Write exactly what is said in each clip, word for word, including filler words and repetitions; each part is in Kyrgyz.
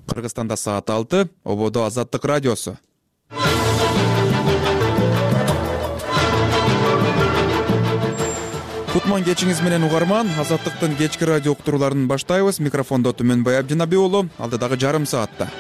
Кыргызстанда саат алты, ободо Азаттык радиосу. Кутман кечиңиз менен угарман, Азаттыктын кечки радио уктурууларын баштайбыз. Микрофондо Түмөнбай Абдинаби уулу, алдыдагы жарым саатта.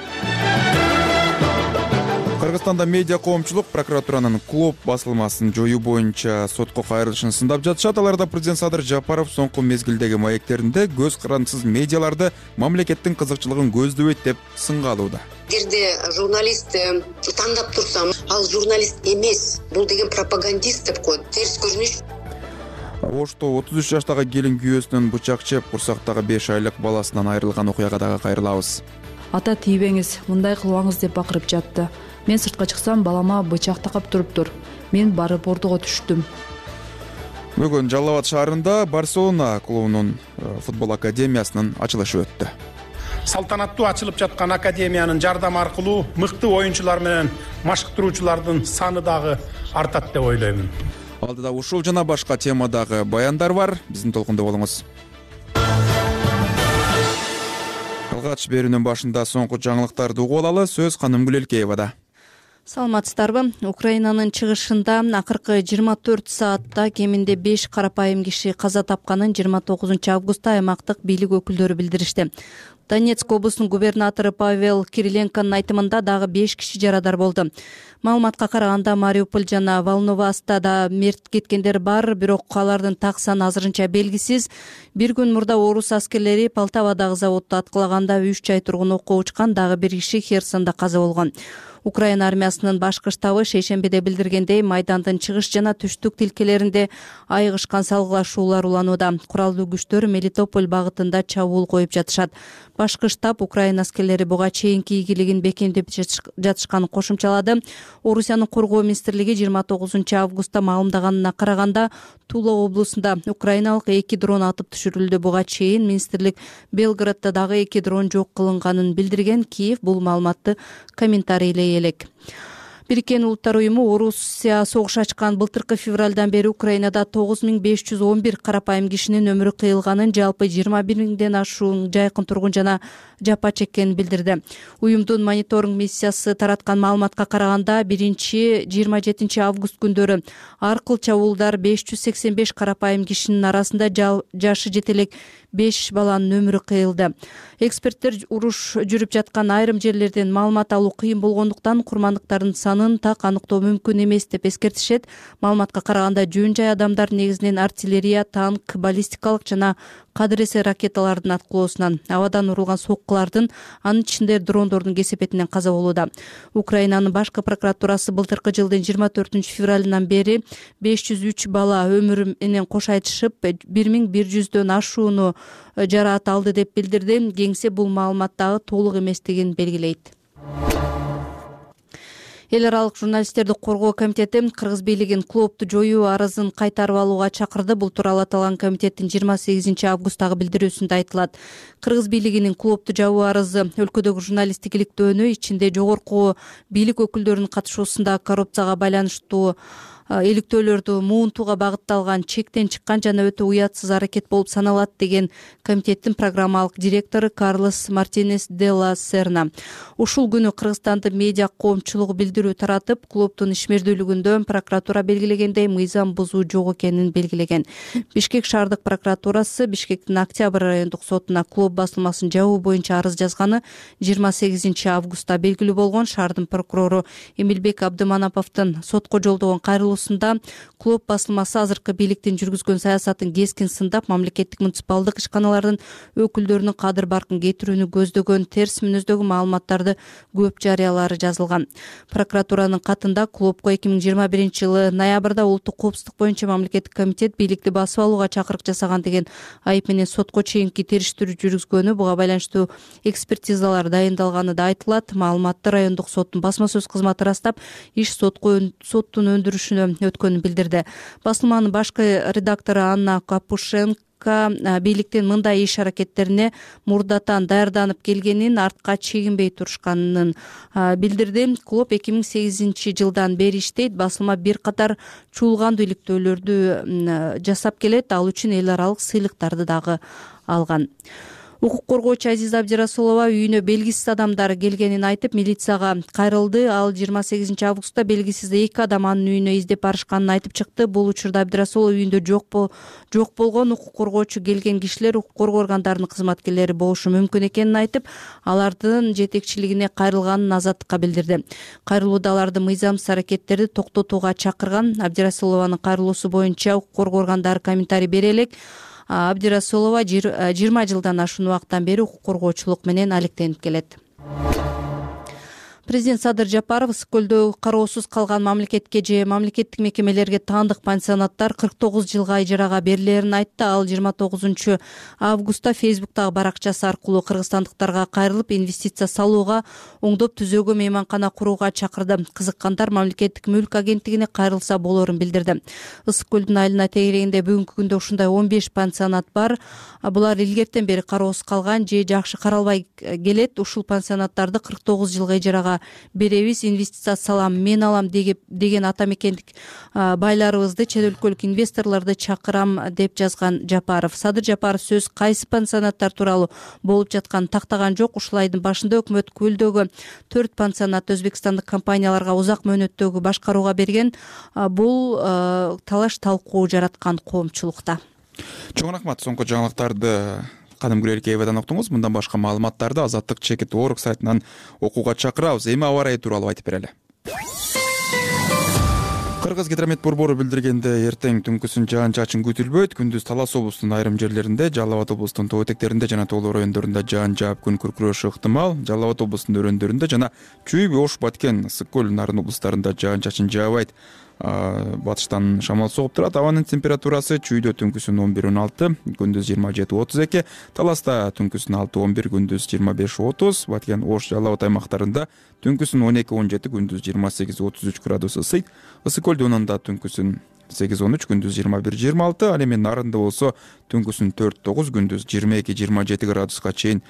Кыргызстанда медиа коомчулук прокуратуранын клуб басылмасын жоюу боюнча сотко кайрылышын сындап жатышат. Аларда президент Садыр Жапаров соңку мезгилдеги маектеринде көз карандысыз медиаларды мамлекеттин кызыкчылыгын көздөбөйт деп сынга алууда. Эгерде журналист тандап турсам, ал журналист эмес, бул деген пропагандист деп коет. Терс көрүнүш. Ошто отуз үч жаштагы келин күйөөсүнөн бычак чеп, курсактагы беш айлык баласынан айрылган окуяга дагы кайрылабыз. Ата тийбеңиз, мындай кылбаңыз деп бакырып жатты. Мен сыртка чыксам, балама бычак такап туруптур. Мен барып ордуга түштүм. Бүгүн Жалал Абад шаарында Барселона клубунун футбол академиясынын ачылышы өттү. Салтанаттуу ачылып жаткан академиянын жардамы аркылуу мыкты оюнчулар менен машыктыруучулардын саны дагы артат деп ойлоймун. Алдыда ушул жана башка темадагы баяндар бар. Биздин толкунда болуңуз. Алгач берүүнүн башында соңку жаңылыктарды угуп алалы. Сөз Канымгүл Элкеевада. Саламатсыздарбы? Украинанын чыгышында акыркы жыйырма төрт саатта кеминде беш карапайым киши каза тапканын жыйырма тогузунчу августта аймактык бийлик өкүлдөрү билдиришти. Донецк облусунун губернатору Павел Кириленконун айтымында дагы беш киши жарадар болду. Маалыматка караганда Мариуполь жана Волноваста да мерт кеткендер бар, бирок алардын так саны азырынча белгисиз. Бир күн мурда орус аскерлери Полтавадагы заводду аткылаганда үч ай тургун окко учкан, дагы бир киши Херсондо каза болгон. Украина армиясынын башкы штабы шейшембиде билдиргендей, майдандын чыгыш жана түштүк тилкелеринде айыгышкан салгылашуулар уланууда. Куралдуу күчтөр Мелитополь багытында чабуул коюп жатышат. Башкы штаб Украина аскерлери буга чейинки ийгилигин бекемдеп жатышканын кошумчалады. Орусиянын коргоо министрлиги жыйырма тогузунчу августта маалымдаганына караганда, Тула облусунда украиналык эки дрон атып түшүрүлдү. Буга чейин министрлик Белградда дагы эки дрон жок кылынганын билдирген. Киев бул маалыматты комментарийлей элек. Бириккен Улуттар уюму Орусия согуш ачкан былтыркы февралдан бери Украинада тогуз миң беш жүз он бир карапайым кишинин өмүрү кыйылганын, жалпы жыйырма бир миңден ашуун жайкын тургун жана жапа чеккенин билдирди. Уюмдун мониторинг миссиясы тараткан маалыматка караганда, биринчи жыйырма жетинчи август күндөрү аркыл чабуулдар беш жүз сексен беш карапайым кишинин арасында жашы жете элек беш баланын өмүрү кыйылды. Эксперттер уруш жүрүп жаткан айрым жерлерден маалымат алуу кыйын болгондуктан курмандыктардын санын так аныктоо мүмкүн эмес деп эскертишет. Маалыматка караганда, жөн жай адамдар негизинен артиллерия, танк, баллистикалык жана кадыр-эсе ракеталардын аткылоосунан, абадан урулган соккулардын, анын ичинде дрондордун кесепетинен каза болууда. Украинанын башкы прокуратурасы былтыркы жылдын жыйырма төртүнчү февралынан бери беш жүз үч бала өмүрү менен кош айтышып, бир миң бир жүздөн ашууну жараат алды деп билдирди. Кеңсе бул маалымат дагы толук эместигин белгилейт. Эл аралык журналисттерди коргоо комитети Кыргыз бийлигин клубду жоюу арызын кайтарып алууга чакырды. Бул тууралуу аталган комитеттин жыйырма сегизинчи августтагы билдирүүсүндө айтылат. Кыргыз бийлигинин клубду жабуу арызы өлкөдөгү журналисттик иликтөөнү, ичинде жогорку бийлик өкүлдөрүнүн катышуусунда коррупцияга байланыштуу иликтөөлөрдү муунтууга багытталган, чектен чыккан жана өтө уятсыз аракет болуп саналат, деген комитеттин программалык директору Карлос Мартинес де ла Серна. Ушул күнү Кыргызстандын медиа коомчулугу билдирүү таратып, клубдун ишмердүүлүгүндө прокуратура белгилегендей мыйзам бузуу жок экенин белгилеген. Бишкек шаардык прокуратурасы Бишкектин Октябрь райондук сотуна клуб басылмасын жабуу боюнча арыз жазганы жыйырма сегизинчи августта белгилүү болгон. Шаардын прокурору Эмилбек Абдыманаповдун сотко жолдогон кайрылуусунда клуб басылмасы азыркы бийликтин жүргүзгөн саясатын кескин сындап, мамлекеттик муниципалдык ишканалардын өкүлдөрүнүн кадыр баркын кетирүүнү көздөгөн терс мүнөздөгү маалыматтарды көп жарыялары жазылган. Прокуратуранын катында клубко эки миң жыйырма биринчи жылы ноябрда улуттук коопсуздук боюнча мамлекеттик комитет бийликти басып алууга чакырык жасаган деген айып менен сотко чейинки териштирүү жүргүзгөнү, буга байланыштуу экспертизалар дайындалганы да айтылат. Маалыматты райондук соттун басма сөз кызматы ырастап, иш сотко соттун өндүрүшүнө өткөнүн билдирди. Басылманын башкы редактору Анна Капушенко бийликтин мындай иш аракеттерине мурдатан даярданып келгенин, артка чегинбей турушканын билдирди. Клуб эки миң сегизинчи жылдан бери иштейт. Басылма бир катар чуулгандуу иликтөөлөрдү жасап келет. Ал үчүн эл аралык сыйлыктарды дагы алган. Укук коргоочу Азиза Абдирасулова үйүнө белгисиз адамдар келгенин айтып, милицияга кайрылды. Ал жыйырма сегизинчи августта белгисиз эки адам анын үйүнө издеп барышканын айтып чыкты. Бул учурда Абдирасулова үйүндө жок жок болгон. Укук коргоочу келген кишилер укук коргоо органдарынын кызматкерлери болушу мүмкүн экенин айтып, алардын жетекчилигине кайрылганын Азаттыкка билдирди. Кайрылууда аларды мыйзамсыз аракеттерди токтотууга чакырган. Абдирасулованын кайрылуусу боюнча укук коргоо органдары комментарий бере элек. Абдирасулова жыйырма жылдан ашуун убакыттан бери укук коргоочулук менен алектенип келет. Президент Садыр Жапаров ысык көлдө кароосуз калган мамлекетке же мамлекеттик мекемелерге таандык пансионаттар кырк тогуз жылга ижарага берилерин айтты. Ал жыйырма тогузунчу августта Фейсбуктагы баракчасы аркылуу кыргызстандыктарга кайрылып, инвестиция салууга, оңдоп түзөөгө, мейманкана курууга чакырды. Кызыккандар мамлекеттик мүлк агенттигине кайрылса болорун билдирди. Ысык көлдүн айылына тегерегинде бүгүнкү күндө ушундай он беш пансионат бар. Булар илгертен бери кароосуз калган же жакшы каралбай келет. Ушул пансионаттарды кырк тогуз жылга ижарага беребиз, инвестиция салам, мен алам деген ата мекендик байларыбызды, чет өлкөлүк инвесторлорду чакырам деп жазган Жапаров. Садыр Жапаров сөз кайсы пансионаттар тууралуу болуп жатканын тактаган жок. Ушул айдын башында өкмөт көлдөгү төрт пансионатты өзбекстандык компанияларга узак мөөнөттөгү башкарууга берген. Бул талаш талкуу жараткан коомчулукта. Чоң рахмат. Соңку жаңылыктарды кадымкы Киевден уктуңуз. Мындан башка маалыматтарды Азаттык чекит орг сайтынан окууга чакырабыз. Эми аба ырайы тууралуу айтып берели. Кыргыз гидромет борбору билдиргенде, эртең түнкүсүн жаан-чачын күтүлбөйт. Күндүз Талас облусунун айрым жерлеринде, Жалал Абад облусунун тоо этектеринде жана тоолор райондорунда жаан жаап күн күркүрөшү ыктымал. Жалал Абад облусунун өрөөндөрүндө жана Чүй, Ош, Баткен, Ысык көл, Нарын облустарында жаан-чачын жаабайт. Батыштан шамал согуп турат. Абанын температурасы Чүйдө түнкүсүн он бир он алты, күндүз жыйырма жети отуз эки, Таласта түнкүсүн алты он бир, күндүз жыйырма беш отуз, Баткен, Ош, Жалал Абад аймактарында түнкүсүн он эки он жети, күндүз жыйырма сегиз отуз үч градус ысыйт. Ысык көл донунда түнкүсүн сегиз он үч, күндүз жыйырма бир жыйырма алты, ал эми Нарында болсо түнкүсүн төрт тогуз, күндүз жыйырма эки жыйырма жети градуска чейин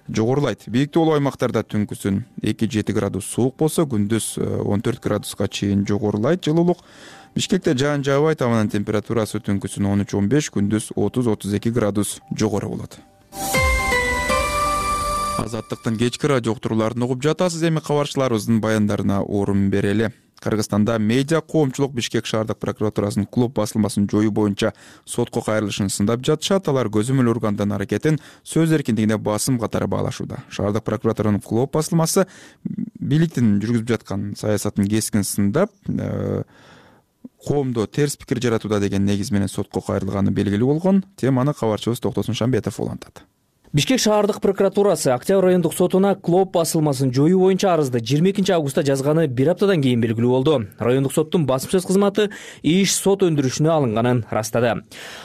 жогорулайт. Бийик тоолуу аймактарда түнкүсүн эки жети градус суук болсо, күндүз он төрт градуска чейин жогорулайт жылуулук. Бишкекте жаан жаабайт, абанын температурасы түнкүсүн он үч он беш, күндүз отуз отуз эки градус жогору болот. Азаттыктын кечки радио уктурууларын угуп жатасыз. Эми кабарчыларыбыздын баяндарына орун берели. Кыргызстанда медиа коомчулук Бишкек шаардык прокуратурасынын клуб басылмасын жоюу боюнча сотко кайрылышын сындап жатышат. Алар көзөмөл органдын аракетин сөз эркиндигине басым катары баалашууда. Шаардык прокуратуранын клуб басылмасы бийликтин жүргүзүп жаткан саясатын кескин сындап, коомдо терс пикир жаратууда деген негиз менен сотко кайрылганы белгилүү болгон. Теманы кабарчыбыз Токтосун Шамбетов улантат. Бишкек шаардык прокуратурасы Октябрь райондук сотуна клуб басылмасын жоюу боюнча арызды жыйырма экинчи августта жазганы бир аптадан кийин белгилүү болду. Райондук соттун басмачыл кызматы иш сот өндүрүшүнө алынганын ырастады.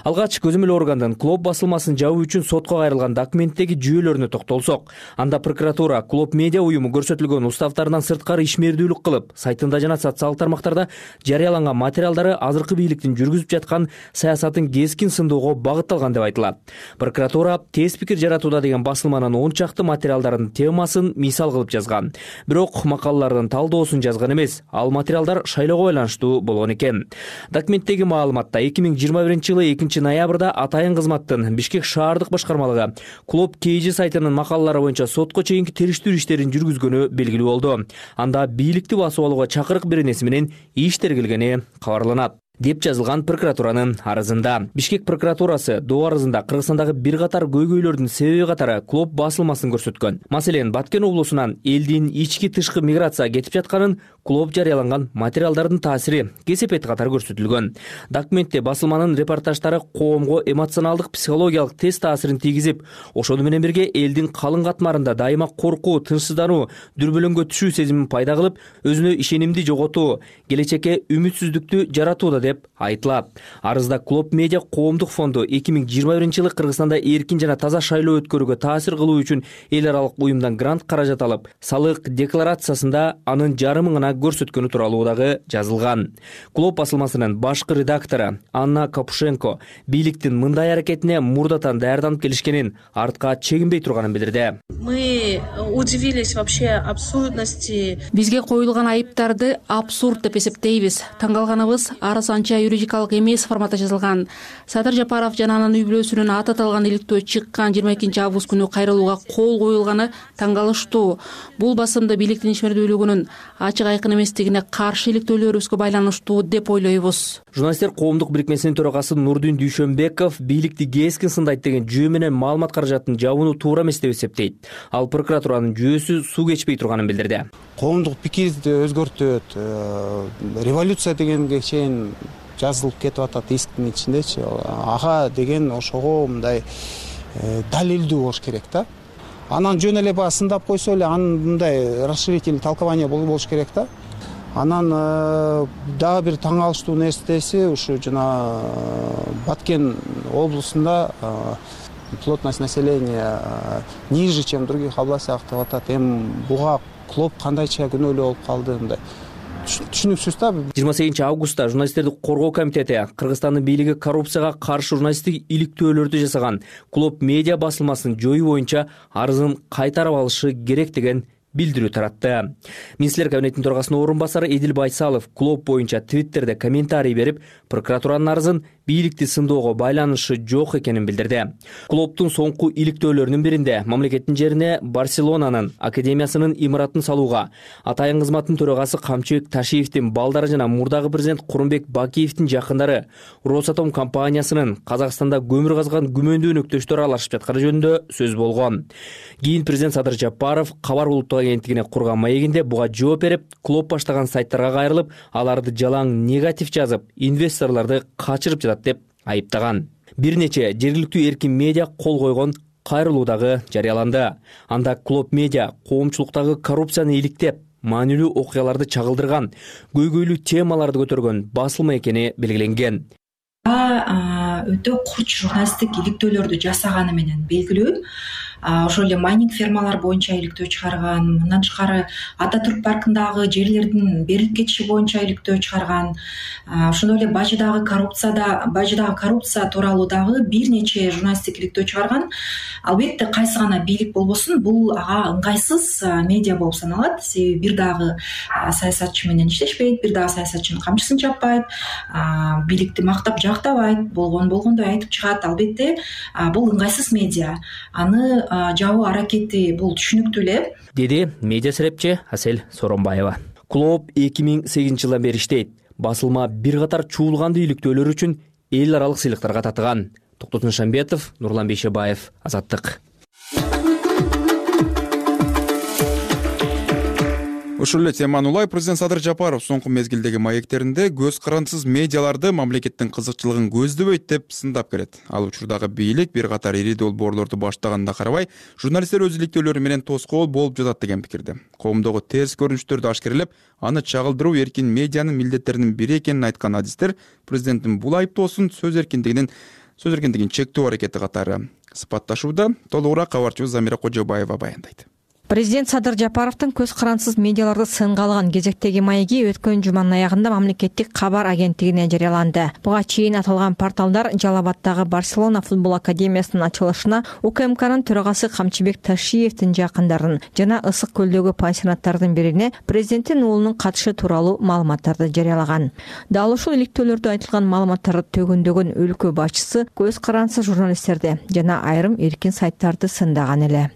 Алгач көзөмөл органдын клуб басылмасын жабуу үчүн сотко кайрылган документтеги жүйөлөрүнө токтолсок, анда прокуратура клуб медиа уюму көрсөтүлгөн уставтарынан сырткары ишмердүүлүк кылып, сайтында жана социалдык тармактарда жарыяланган материалдары азыркы бийликтин жүргүзүп жаткан саясатын кескин сындоого багытталган деп айтылат. Прокуратура терс пикир туда деген басылманын он чакты материалдардын темасын мисал кылып жазган. Бирок макалалардын талдоосун жазган эмес. Ал материалдар шайлоого байланыштуу болгон экен. Документтеги маалыматта эки миң жыйырма биринчи жылы экинчи ноябрда атайын кызматтын Бишкек шаардык башкармалыгы клуб Кейжи сайтынын макалалары боюнча сотко чейинки териштирүү иштерин жүргүзгөнү белгилүү болду. Анда бийликти басып алууга чакырык беренеси менен иш тергелгени кабарланат деп жазылган прокуратуранын арызында. Бишкек прокуратурасы доо арызында Кыргызстандагы бир катар көйгөйлөрдүн себеби катары клуб басылмасын көрсөткөн. Маселен, Баткен облусунан элдин ички тышкы миграция кетип жатканын, клуб жарыяланган материалдардын таасири кесепет катары көрсөтүлгөн. Документте басылманын репортаждары коомго эмоционалдык психологиялык тест таасирин тийгизип, ошону менен бирге элдин калың катмарында дайыма коркуу, тынчсыздануу, дүрбөлөңгө түшүү сезимин пайда кылып, өзүнө ишенимди жоготуу, келечекке үмүтсүздүктү жаратууда деп айтылат. Арызда клуб медиа коомдук фонду эки миң жыйырма биринчи жылы Кыргызстанда эркин жана таза шайлоо өткөрүүгө таасир кылуу үчүн эл аралык уюмдан грант каражат алып, салык декларациясында анын жарымын гана көрсөткөнү тууралуу дагы жазылган. Клуб басылмасынын башкы редактору Анна Капушенко бийликтин мындай аракетине мурдатан даярданып келишкенин, артка чегинбей турганын билдирди. Мы удивились вообще абсурдности. Бизге коюлган айыптарды абсурд деп эсептейбиз. Таң калганыбыз арыз анча юридикалык эмес форматта жазылган. Садыр Жапаров жана анын үй бүлөсүнүн аты аталган иликтөө чыккан жыйырма экинчи август күнү кайрылууга кол коюлганы таң калыштуу. Бул басымды бийликтин ишмердүүлүгүнүн ачык айкын эместигине каршы иликтөөлөрүбүзгө байланыштуу деп ойлойбуз. Журналисттер коомдук бирикмесинин төрагасы Нурдин Дүйшөнбеков бийликти кескин сындайт деген жөө менен маалымат каражатын жабууну туура эмес деп эсептейт. Ал прокуратуранын жүйөсү суу кечпей турганын билдирди. Коомдук пикирди өзгөртөт, революция дегенге чейин жазылып кетип атат исктин ичиндечи. Ага деген ошого мындай далилдүү болуш керек да. Анан жөн эле баягы сындап койсо эле анын мындай расширительный толкование болуш керек да. Анан дагы бир таң калыштуу нерсеси ушу жана Баткен облусунда плотность населения ниже, чем в других областях деп атат. Эми буга клоп кандайча күнөөлүү болуп калды мындай. Түшүнүксүз да. жыйырма сегизинчи августта журналисттерди коргоо комитети Кыргызстандын бийлиги коррупцияга каршы журналисттик иликтөөлөрдү жасаган Клоп медиа басылмасын жоюу боюнча арызын кайтарып алышы керек деген билдирүү таратты. Министрлер кабинетинин төрагасынын орун басары Эдил Байсалов Клоп боюнча Твиттерде комментарий берип, прокуратуранын арызын бийликти сындоого байланышы жок экенин билдирди. Клоптун соңку иликтөөлөрүнүн биринде мамлекеттин жерине Барселонанын академиясынын имаратын салууга, атайын кызматтын төрагасы Камчыбек Ташиевдин балдары жана мурдагы президент Курманбек Бакиевдин жакындары Росатом компаниясынын Казакстанда көмүр казган күмөндүү өнөктөштөр аралашып жатканы жөнүндө сөз болгон. Кийин президент Садыр Жапаров кабар улуттук агенттигине курган маегинде буга жооп берип, Клоп баштаган сайттарга кайрылып, аларды жалаң негатив жазып, инвесторлорду качырып жатат деп айыптаган. Бир нече жергиликтүү эркин медиа кол койгон кайрылуу дагы жарыяланды. Анда Клоп медиа коомчулуктагы коррупцияны иликтеп, маанилүү окуяларды чагылдырган, көйгөйлүү темаларды көтөргөн басылма экени белгиленген. Өтө курч журналисттик иликтөөлөрдү жасаганы менен белгилүү. Ошол эле майнинг фермалар боюнча иликтөө чыгарган, мындан тышкары Ата Түрк паркындагы жерлердин берилип кетиши боюнча иликтөө чыгарган. Ошондой эле Бажыдагы коррупцияда, Бажыдагы коррупция тууралуу дагы бир нече журналисттик иликтөө чыгарган. Албетте кайсы гана бийлик болбосун, бул ага ыңгайсыз медиа болуп саналат. Себеби бир дагы саясатчы менен иштешпейт, бир дагы саясатчынын камчысын чаппайт, бийликти мактап жактабайт, болгон болгондой айтып чыгат. Албетте бул ыңгайсыз медиа. Аны жабуу аракети бул түшүнүктүү эле, деди медиа серепчи Асель Соронбаева. Клоп эки миң сегизинчи жылдан бери иштейт. Басылма бир катар чуулгандуу иликтөөлөр үчүн эл аралык сыйлыктарга татыган. Токтот Нышанбетов, Нурлан Бейшебаев, Азаттык. Ушул эле теманы улай президент Садыр Жапаров соңку мезгилдеги маектеринде көз карансыз медиаларды мамлекеттин кызыкчылыгын көздөбөйт деп сындап келет. Ал учурдагы бийлик бир катар ири долбоорлорду баштаганына карабай, журналисттер өз иликтөөлөрү менен тоскоол болуп жатат деген пикирде. Коомдогу терс көрүнүштөрдү ашкерелеп, аны чагылдыруу эркин медианын милдеттеринин бири экенин айткан адистер президенттин бул айыптоосун сөз эркиндигинин сөз эркиндигин чектөө аракети катары сыпатташууда. Толугураак кабарчыбыз Замира Кожобаева баяндайт. Президент Садыр Жапаровдун көз карансыз медиаларды сынга алган кезектеги маеги өткөн жуманын аягында мамлекеттик кабар агенттигине жарыяланды. Буга чейин аталган порталдар Жалал Абаддагы Барселона футбол академиясынын ачылышына УКМКнын төрагасы Камчыбек Ташиевдин жакындарын жана Ысык көлдөгү пансионаттардын бирине президенттин уулунун катышы тууралуу маалыматтарды жарыялаган. Дал ушул иликтөөлөрдө айтылган маалыматтарды төгөндөгөн өлкө башчысы көз карансыз журналисттерди жана айрым эркин сайттарды сындаган эле.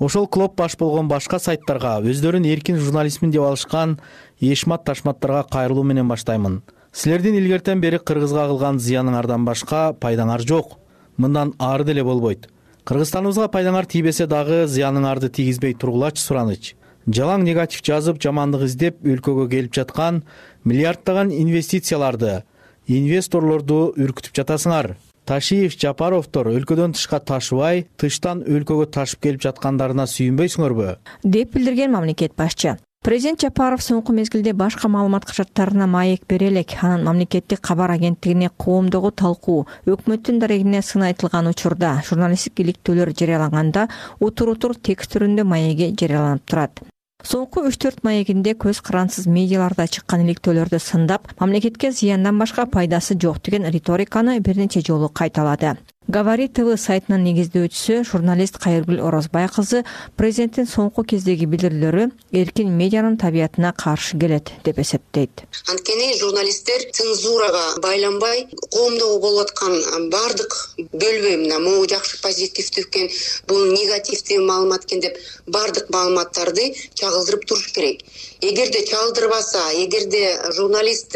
Ошол Клоп баш болгон башка сайттарга өздөрүн эркин журналистмин деп алышкан эшмат ташматтарга кайрылуу менен баштаймын. Силердин илгертен бери Кыргызга кылган зыяныңардан башка пайдаңар жок. Мындан ары деле болбойт. Кыргызстаныбызга пайдаңар тийбесе дагы зыяныңарды тийгизбей тургулачы сураныч. Жалаң негатив жазып, жамандык издеп өлкөгө келип жаткан миллиарддаган инвестицияларды, инвесторлорду үркүтүп жатасыңар. Ташиев, Жапаровдор өлкөдөн тышка ташыбай, тыштан өлкөгө ташып келип жаткандарына сүйүнбөйсүңөрбү? Деп билдирген мамлекет башчы. Президент Жапаров соңку мезгилде башка маалымат качаттарына маек бере элек. Анын мамлекеттик кабар агенттигине коомдогу талкуу, өкмөттүн дарегине сын айтылган учурда журналисттик иликтөөлөр жарыяланганда утур-утур текст түрүндө маеги жарыяланып турат. Соңку үч төрт маегинде көз карансыз медиаларда чыккан иликтөөлөрдү сындап, мамлекетке зыяндан башка пайдасы жок деген риториканы бир нече жолу кайталады. Говорит ТВ сайтынын негиздөөчүсү журналист Кайыргүл Орозбай кызы президенттин соңку кездеги билдирүүлөрү эркин медианын табиятына каршы келет деп эсептейт. Анткени журналисттер цензурага байланбай коомдогу болуп аткан баардык бөлбөй мына могу жакшы позитивдүү экен, бул негативдүү маалымат экен деп баардык маалыматтарды чагылдырып туруш керек. Эгерде чагылдырбаса, эгерде журналист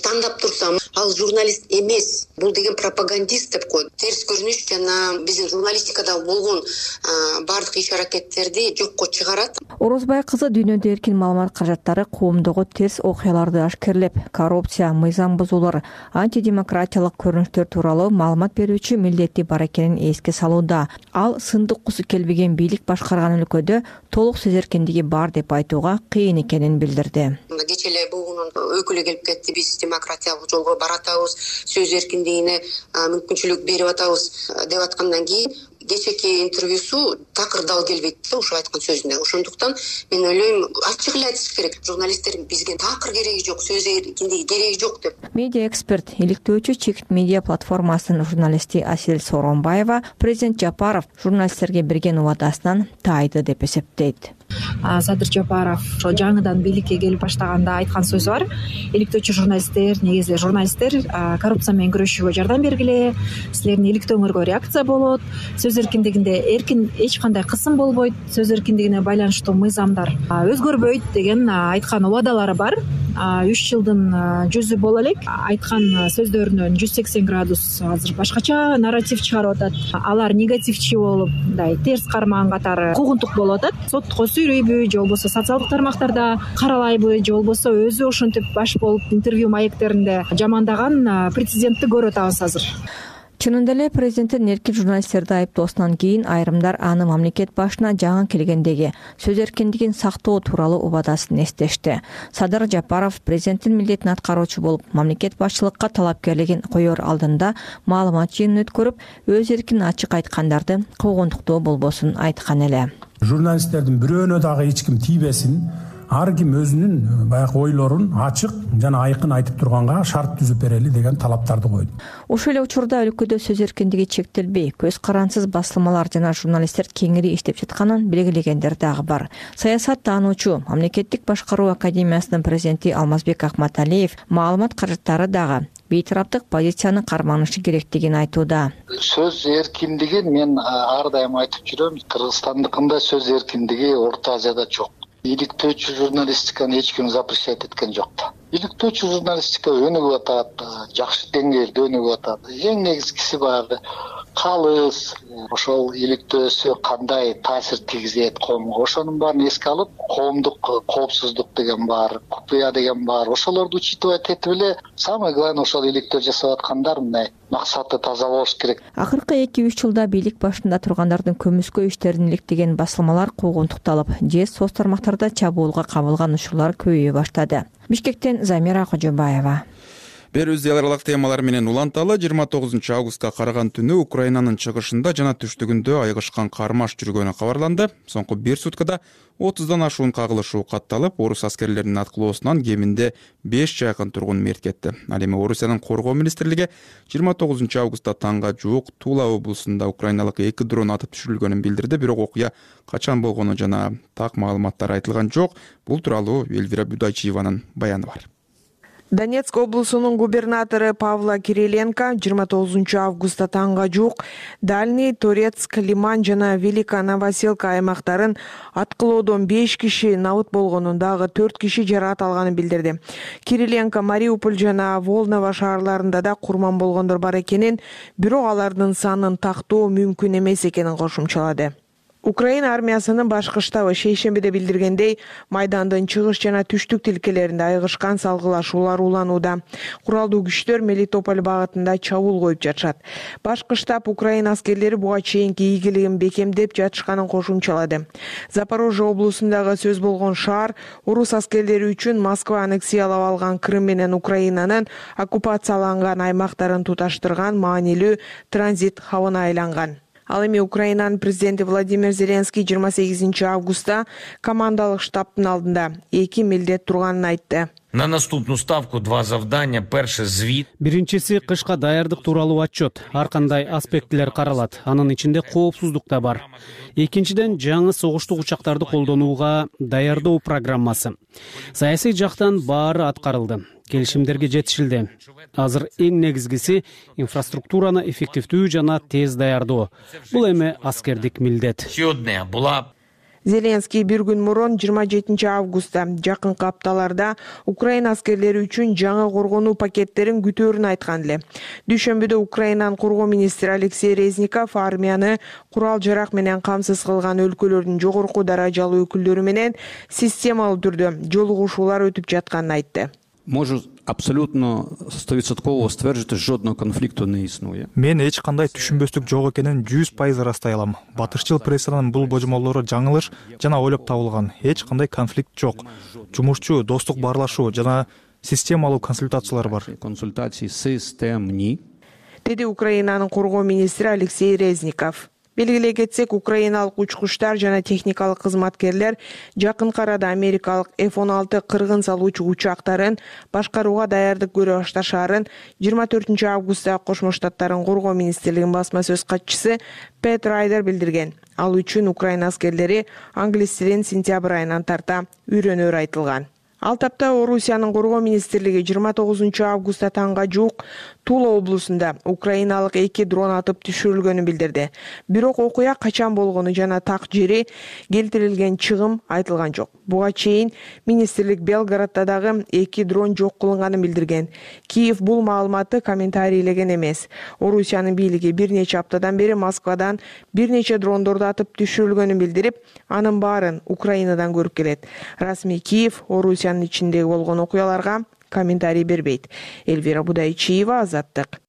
тандап турса, ал журналист эмес, бул деген пропагандист деп коет. Терс көрүнүш жана биздин журналистикада болгон баардык иш аракеттерди жокко чыгарат. Орозбай кызы дүйнөдө эркин маалымат каражаттары коомдогу терс окуяларды ашкерлеп, коррупция, мыйзам бузуулар, антидемократиялык көрүнүштөр тууралуу маалымат берүүчү милдети бар экенин эске салууда. Ал сындыккусу келбеген бийлик башкарган өлкөдө толук сөз эркиндиги бар деп айтууга кыйын экенин билдирди. Кечээ эле бугунун өкүлү келип кетти, биз демократиялык жолго баратабыз, сөз эркиндигине мүмкүнчүлүк берип атабыз деп аткандан кийин кечээки интервьюсу такыр дал келбейт да ошо айткан сөзүнө. Ошондуктан мен ойлойм, ачык эле айтыш керек. Журналисттер бизге такыр кереги жок, сөз эркиндиги кереги жок деп. Медиа эксперт, иликтөөчү Чекит медиа платформасынын журналисти Асель Сооронбаева президент Жапаров журналисттерге берген убадасынан таайды деп эсептейт. Садыр Жапаров ошо жаңыдан бийликке келип баштаганда айткан сөзү бар. Иликтөөчү журналисттер, негизи журналисттер коррупция менен күрөшүүгө жардам бергиле, силердин иликтөөңөргө реакция болот, сөз эркиндигинде эркин эч кандай кысым болбойт, сөз эркиндигине байланыштуу мыйзамдар өзгөрбөйт деген айткан убадалары бар. үч жылдын жүзү боло элек айткан сөздөрүнөн жүз сексен градус азыр башкача нарратив чыгарып атат. Алар негативчи болуп, мындай терс кармаган катары куугунтук болуп атат. Сотко сүйрөйбү, же болбосо социалдык тармактарда каралайбы, же болбосо өзү ошентип баш болуп интервью маектеринде жамандаган прецедентти көрүп атабыз азыр. Чынында эле президенттин эркин журналисттерди айыптоосунан кийин айрымдар аны мамлекет башына жаңы келгендеги сөз эркиндигин сактоо тууралуу убадасын эстешти. Садыр Жапаров президенттин милдетин аткаруучу болуп, мамлекет башчылыкка талапкерлигин коер алдында маалымат жыйынын өткөрүп, өз эркин ачык айткандарды куугунтуктоо болбосун айткан эле. Журналисттердин бирөөнө дагы эч ким тийбесин, ар ким өзүнүн баягы ойлорун ачык жана айкын айтып турганга шарт түзүп берели деген талаптарды койду. Ошол эле учурда өлкөдө сөз эркиндиги чектелбей, көз карансыз басылмалар жана журналисттер кеңири иштеп жатканын белгилегендер дагы бар. Саясат таануучу, мамлекеттик башкаруу академиясынын президенти Алмазбек Акматалиев маалымат каражаттары дагы бейтараптык позицияны карманышы керектигин айтууда. Сөз эркиндигин мен ар дайым айтып жүрөм, Кыргызстандыкында сөз эркиндиги Орто Азияда жок. Иликтөөчү журналистиканы эч ким запрещать эткен жок. Иликтөөчү журналистика өнүгүп атат, жакшы деңгээлде өнүгүп атат. Эң негизгиси баягы калыс, ошол иликтөөсү кандай таасир тийгизет коомго, ошонун баарын эске алып, коомдук коопсуздук деген бар, купуя деген бар. Ошолорду учитывать этип эле, самое главное ошол иликтөө жасап аткандар мындай максаты таза болуш керек. Акыркы эки үч жылда бийлик башында тургандардын көмүскө иштерин иликтеген басылмалар куугунтукталып, же соц тармактарда чабуулга кабылган учурлар көбөйө баштады. Бишкектен Замира Кожобаева. Берүүбүз эл аралык темалар менен уланталы. жыйырма тогузунчу августка караган түнү Украинанын чыгышында жана түштүгүндө айгышкан кармаш жүргөнү кабарланды. Соңку бир суткада отуздан ашуун кагылышуу катталып, орус аскерлеринин аткылоосунан кеминде беш жакын тургун мерт кетти. Ал эми Орусиянын коргоо министрлиги жыйырма тогузунчу августта таңга жуук Тула облусунда украиналык эки дрон атып түшүрүлгөнүн билдирди, бирок окуя качан болгону жана так маалыматтар айтылган жок. Бул тууралуу Эльвира Будайчиеванын баяны бар. Донецк облусунун губернатору Павла Кириленко жыйырма тогузунчу августта таңга жуук Дальний, Торецк, Лиман жана Велика Новоселка аймактарын аткылоодон беш киши набыт болгонун, дагы төрт киши жаракат алганын билдирди. Кириленко Мариуполь жана Волново шаарларында да курман болгондор бар экенин, бирок алардын санын тактоо мүмкүн эмес экенин кошумчалады. Украина армиясынын башкы штабы шейшембиде билдиргендей, майдандын чыгыш жана түштүк тилкелеринде айгышкан салгылашуулар уланууда. Куралдуу күчтөр Мелитополь багытында чабуул коюп жатышат. Башкы штаб Украина аскерлери буга чейинки ийгилигин бекемдеп жатышканын кошумчалады. Запорожье облусундагы сөз болгон шаар орус аскерлери үчүн Москва аннексиялап алган Крым менен Украинанын оккупацияланган аймактарын туташтырган маанилүү транзит хабына айланган. Ал эми Украинанын президенти Владимир Зеленский жыйырма сегизинчи августта командалык штабтын алдында эки милдет турганын айтты. На наступную ставку два завдания. Перше звит. Биринчиси кышка даярдык тууралуу отчет. Ар кандай аспектилер каралат. Анын ичинде коопсуздук да бар. Экинчиден жаңы согуштук учактарды колдонууга даярдоо программасы. Саясий жактан баары аткарылды. Келишимдерге жетишилди. Азыр эң негизгиси инфраструктураны эффективдүү жана тез даярдоо. Бул эми аскердик милдет. Зеленский бир күн мурун жыйырма жетинчи августта жакынкы апталарда Украина аскерлери үчүн жаңы коргонуу пакеттерин күтөөрүн айткан эле. Дүйшөмбүдө Украинанын коргоо министри Алексей Резников армияны курал жарак менен камсыз кылган өлкөлөрдүн жогорку даражалуу өкүлдөрү менен системалуу түрдө жолугушуулар өтүп жатканын айтты. Можу абсолютно стовідсотково стверджувати, жодного конфликту не існує. Мен эч кандай түшүнбөстүк жок экенин жүз пайыз ырастай алам. Батышчыл прессанын бул божомолдору жаңылыш жана ойлоп табылган. Эч кандай конфликт жок. Жумушчу, достук баарлашуу жана системалуу консультациялар бар. Консультации системни. Деди Украинанын коргоо министри Алексей Резников. Белгилей кетсек, украиналык учкучтар жана техникалык кызматкерлер жакынкы арада америкалык эф он алты кыргын салуучу учактарын башкарууга даярдык көрө башташаарын жыйырма төртүнчү августта Кошмо Штаттардын коргоо министрлигинин басма сөз катчысы Пэт Райдер билдирген. Ал үчүн Украина аскерлери англис тилин сентябрь айынан тарта үйрөнөөрү айтылган. Ал тапта Орусиянын коргоо министрлиги жыйырма тогузунчу августта таңга жуук Тула облусунда украиналык эки дрон атып түшүрүлгөнүн билдирди. Бирок окуя качан болгону жана так жери келтирилген чыгым айтылган жок. Буга чейин министрлик Белградда дагы эки дрон жок кылынганын билдирген. Киев бул маалыматты комментарийлеген эмес. Орусиянын бийлиги бир нече аптадан бери Москвадан бир нече дрондорду атып түшүрүлгөнүн билдирип, анын баарын Украинадан көрүп келет. Расмий Киев Орусиянын ичиндеги болгон окуяларга комментарий бербейт. Эльвира Будайчиева, Азаттык.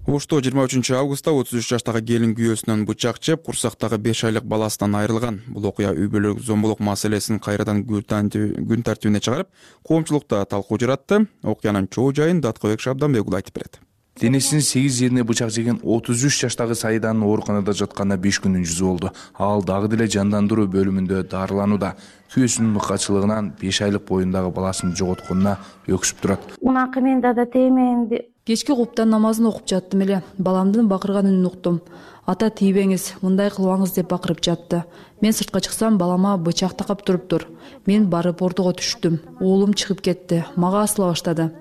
Ошто жыйырма үчүнчү августта отуз үч жаштагы келин күйөөсүнөн бычак жеп, курсактагы беш айлык баласынан айрылган. Бул окуя үй бүлөлүк зомбулук маселесин кайрадан күн тартибине чыгарып, коомчулукта талкуу жаратты. Окуянын чоо жайын Даткыбек Шабданбек айтып берет. Денесинин сегиз жерине бычак жеген отуз үч жаштагы Саиданын ооруканада жатканына беш күндүн жүзү болду. Ал дагы деле жандандыруу бөлүмүндө дарыланууда. Күйөөсүнүн мыкачылыгынан беш айлык боюндагы баласын жоготконуна өксүп турат. Унакы мен да теменди. Кечки куптан намазын окуп жаттым эле. Баламдын бакырган үнүн уктум. Ата тийбеңиз, мындай кылбаңыз деп бакырып жатты. Мен сыртка чыксам, балама бычак такап туруптур. Мен барып ортого түштүм. Уулум чыгып кетти. Мага асыла баштады.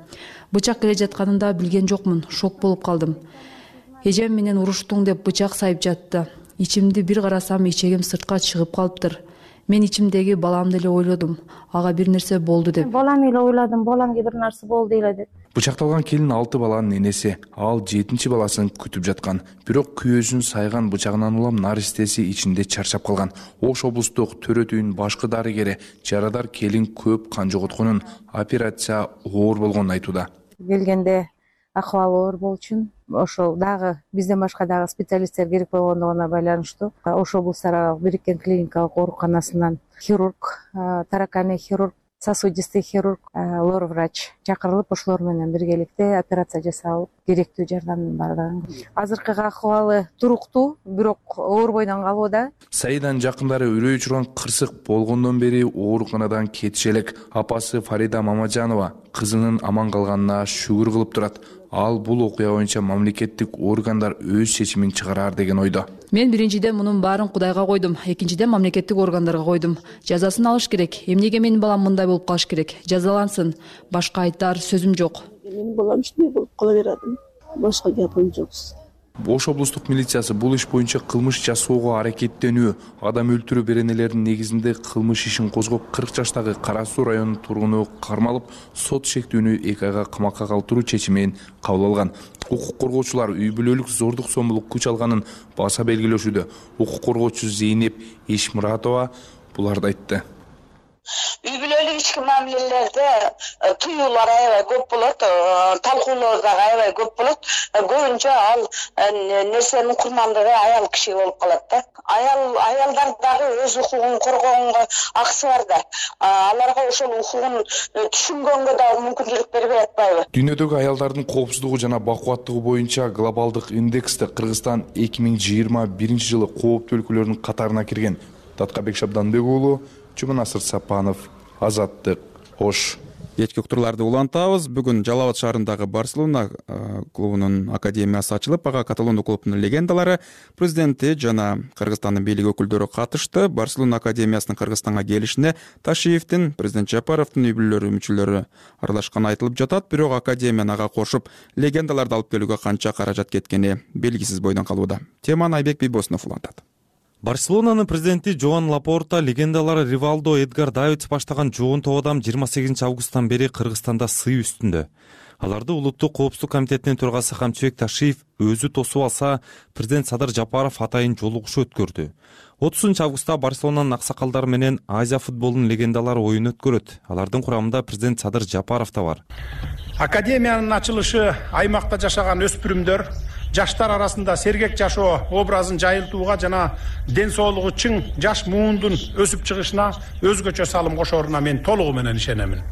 Бычак келе жатканында билген жокмун, шок болуп калдым. Эжем менен уруштуң деп бычак сайып жатты. Ичимди бир карасам, ичегим сыртка чыгып калыптыр. Мен ичимдеги баламды эле ойлодум. Ага бир нерсе болду деп. Балам эле ойладым, баламга бир нерсе болду эле деп. Бычакталган келин алты баланын энеси, ал жетинчи баласын күтүп жаткан. Бирок күйөөсүн сайган бычагынан улам наристеси ичинде чарчап калган. Ош облустук төрөтүүнүн башкы дарыгери жарадар келин көп кан жоготконун, операция оор болгонун айтууда. Келгенде акыбалы оор болчу. Ошол дагы бизден башка дагы специалисттер керек болгондугуна байланыштуу Ош облустарга бириккен клиникалык ооруканасынан хирург, тараканий хирург, сосудистый хирург, лор врач чакырылып, ошолор менен биргеликте операция жасалып, керектүү жардамдын бардыгын. Азыркы акыбалы туруктуу, бирок оорбойдон калууда. Саиданын жакындары үрөй учурган кырсык болгондон бери ооруканадан кетиш элек. Апасы Фарида Мамажанова кызынын аман калганына шүгүр кылып турат. Ал бул окуя боюнча мамлекеттик органдар өз чечимин чыгарар деген ойдо. Мен биринчиден мунун баарын Кудайга койдум, экинчиден мамлекеттик органдарга койдум. Жазасын алыш керек. Эмнеге менин балам мындай болуп калыш керек? Жазалансын. Башка айтар сөзүм жок. Менин балам ушундай болуп кала берди. Башка гапым жок. Ош облустук милициясы бул иш боюнча кылмыш жасоого аракеттенүү, адам өлтүрүү беренелеринин негизинде кылмыш ишин козгоп, кырк жаштагы Кара Суу районунун тургуну кармалып, сот шектүүнү эки айга камакка калтыруу чечимин кабыл алган. Укук коргоочулар үй бүлөлүк зордук зомбулук күч алганын баса белгилешүүдө. Укук коргоочу Зейнеп Ишмуратова буларды айтты. Үй бүлөлүк ички мамилелерде туюулар аябай көп болот, талкуулар да аябай көп болот. Көбүнчө ал нерсенин курмандыгы аял киши болуп калат да. Аял аялдар дагы өз укугун коргоонго акысы бар да. Аларга ошол укугун түшүнгөнгө да мүмкүнчүлүк бербей атпайбы? Дүйнөдөгү аялдардын коопсуздугу жана бакубаттыгы боюнча глобалдык индексте Кыргызстан эки миң жыйырма биринчи жылы кооптуу өлкөлөрдүн катарына кирген. Даткыбек Шабданбек уулу, Чуманасыр Сапанов, азаттык, ош. Кечки уктурларды улантабыз. Бүгүн Жалал Абад шаарындагы Барселона клубунун академиясы ачылып, ага каталондук клубдун легендалары, президенти жана Кыргызстандын бийлик өкүлдөрү катышты. Барселона академиясынын Кыргызстанга келишине Ташиевдин, президент Жапаровдун үй бүлөлөрү мүчөлөрү аралашканы айтылып жатат. Бирок академияны ага кошуп, легендаларды алып келүүгө канча каражат кеткени белгисиз бойдон калууда. Теманы Айбек Бийбосунов улантат. Барселонанын президенти Жоан Лапорта легендалары Ривалдо, Эдгар Давидс баштаган чогун топ адам жыйырма сегизинчи августтан бери Кыргызстанда сый үстүндө. Аларды улуттук коопсуздук комитетинин төрагасы Камчыбек Ташиев өзү тосуп алса, президент Садыр Жапаров атайын жолугушуу өткөрдү. отузунчу августта Барселонанын аксакалдары менен Азия футболунун легендалары оюн өткөрөт. Алардын курамында президент Садыр Жапаров да бар. Академиянын ачылышы аймакта жашаган өспүрүмдөр, жаштар арасында сергек жашоо образын жайылтууга жана ден соолугу чың жаш муундун өсүп чыгышына өзгөчө салым кошоруна мен толугу менен ишенемин.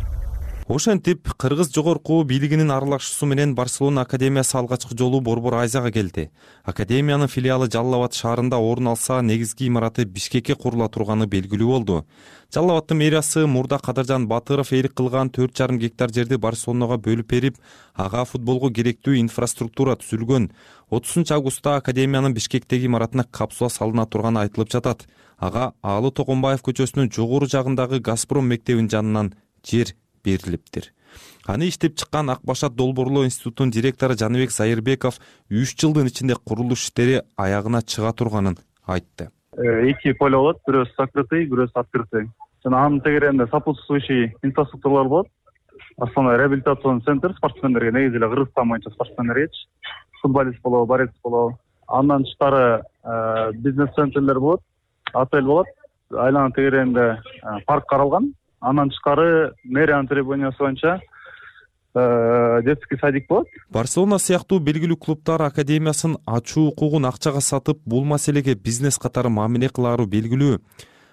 Ошентип, Кыргыз жогорку бийлигинин аралашуусу менен Барселона академиясы алгачкы жолу Борбор Азияга келди. Академиянын филиалы Жалал Абад шаарында орун алса, негизги имараты Бишкекке курула турганы белгилүү болду. Жалал Абадтын мэриясы мурда Кадыржан Батыров ээлик кылган төрт жарым гектар жерди Барселонага бөлүп берип, ага футболго керектүү инфраструктура түзүлгөн. отузунчу августта академиянын Бишкектеги имаратына капсула салына турганы айтылып жатат. Ага Аалы Токонбаев көчөсүнүн жогору жагындагы Газпром мектебинин жанынан жер берилиптир. Аны иштеп чыккан Ак Башат долбоорлоо институтунун директору Жаныбек Сайырбеков үч жылдын ичинде курулуш иштери аягына чыга турганын айтты. Эки поле болот, бирөөсү закрытый, бирөөсү открытый. Жана анын тегерегинде сопутствующий инфраструктуралар болот. Основной реабилитационный центр спортсмендерге, негизи эле Кыргызстан боюнча спортсмендерге, футболист болобу, борец болобу. Андан тышкары бизнес-центрлер болот, отель болот. Айланын тегерегинде парк каралган. Андан тышкары мэриянын требованиясы боюнча детский садик болот. Барселона сыяктуу белгилүү клубдар академиясын ачуу укугун акчага сатып, бул маселеге бизнес катары мамиле кылаары белгилүү.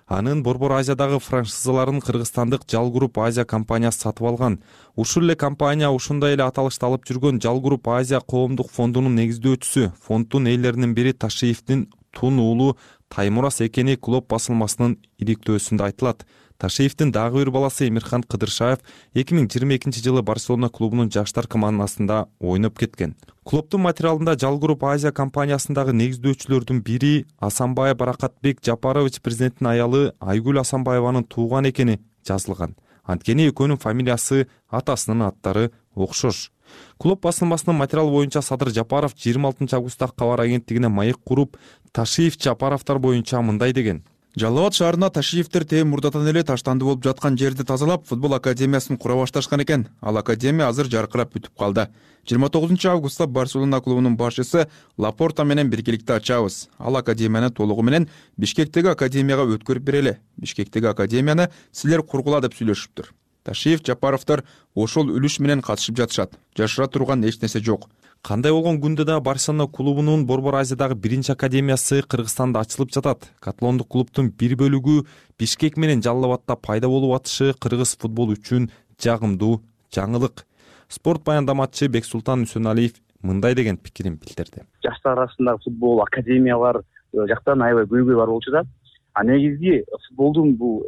Анын Борбор Азиядагы франшизаларын кыргызстандык Жал Групп Азия компаниясы сатып алган. Ушул эле компания ушундай эле аталышты алып жүргөн Жал Групп Азия коомдук фондунун негиздөөчүсү. Фонддун ээлеринин бири Ташиевдин тун уулу Таймурас экени клуб басылмасынын иликтөөсүндө айтылат. Ташиевдин дагы бир баласы Эмирхан Кыдыршаев эки миң жыйырма экинчи жылы Барселона клубунун жаштар командасында ойноп кеткен. Клубдун материалында Жал Групп Азия компаниясындагы негиздөөчүлөрдүн бири Асанбай Баракатбек Жапарович президенттин аялы Айгүл Асанбаеванын тууган экени жазылган. Анткени экөөнүн фамилиясы, атасынын аттары окшош. Клуб басылмасынын материалы боюнча Садыр Жапаров жыйырма алтынчы августта кабар агенттигине маек куруп, Ташиев Жапаровдор боюнча мындай деген. Жалал Абад шаарына Ташиевдер тээ мурдатан эле таштанды болуп жаткан жерди тазалап, футбол академиясын кура башташкан экен. Ал академия азыр жаркырап бүтүп калды. жыйырма тогузунчу августта Барселона клубунун башчысы Лапорта менен биргеликте ачабыз. Ал академияны толугу менен Бишкектеги академияга өткөрүп берели. Бишкектеги академияны силер кургула деп сүйлөшүптүр. Ташиев, Жапаровдор ошол үлүш менен катышып жатышат. Жашыра турган эч нерсе жок. Кандай болгон күндө да Барселона клубунун Борбор Азиядагы биринчи академиясы Кыргызстанда ачылып жатат. Каталондук клубдун бир бөлүгү Бишкек менен Жалал Абадта пайда болуп атышы кыргыз футбол үчүн жагымдуу жаңылык. Спорт баяндамачы Бексултан Үсөналиев мындай деген пикирин билдирди. Жаштар арасындагы футбол академиялар жактан аябай көйгөй бар болчу да. А негизги футболдун бул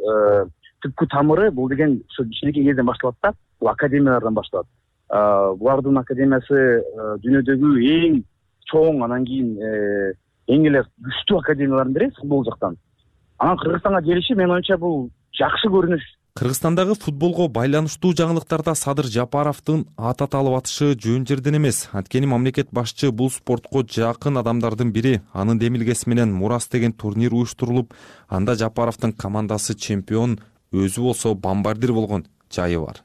түпкү тамыры бул деген ошо кичинекей кезден башталат да. Бул академиялардан башталат. Булардын академиясы дүйнөдөгү эң чоң, анан кийин эң эле күчтүү академиялардын бири футбол жактан. Анан Кыргызстанга келиши менин оюмча бул жакшы көрүнүш. Кыргызстандагы футболго байланыштуу жаңылыктарда Садыр Жапаровдун ат аталып атышы жөн жерден эмес. Анткени мамлекет башчы бул спортко жакын адамдардын бири. Анын демилгеси менен Мурас деген турнир уюштурулуп, анда Жапаровдун командасы чемпион, өзү болсо бомбардир болгон жайы бар.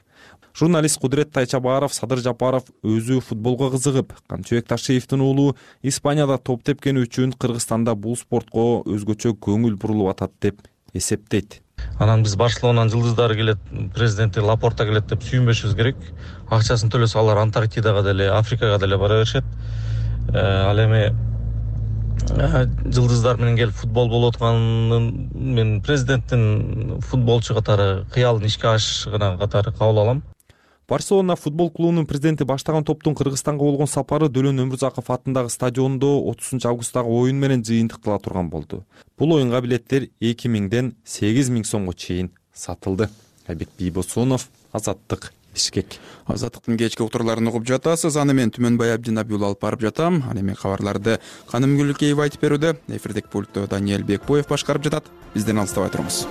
Журналист Кудурет Тайчабаров Садыр Жапаров өзү футболго кызыгып, Камчыбек Ташиевдин уулу Испанияда топ тепкени үчүн Кыргызстанда бул спортко өзгөчө көңүл бурулуп атат деп эсептейт. Анан биз Барселонанын жылдыздары келет, президенти Лапорта келет деп сүйүнбөшүбүз керек. Акчасын төлөсө алар Антарктидага деле, Африкага деле бара беришет. Ал эми жылдыздар менен келип футбол болуп атканын мен президенттин футболчу катары кыялын ишке ашырган катары кабыл алам. Барселона футбол клубунун президенти баштаган топтун Кыргызстанга болгон сапары Дөлөн Өмүрзаков атындагы стадиондо отузунчу августтагы оюн менен жыйынтыктала турган болду. Бул оюнга билеттер эки миңден сегиз миң сомго чейин сатылды. айбек бийбосунов, Азаттык, Бишкек. Азаттыктын кечки уктурларын угуп жатасыз. Аны мен Түмөнбай Абдинабиул алып барып жатам. Ал эми кабарларды Каным Гүлкеева айтып берүүдө. Эфирдик пультту Даниэль Бекбоев башкарып жатат. Бизден алыстабай туруңуз.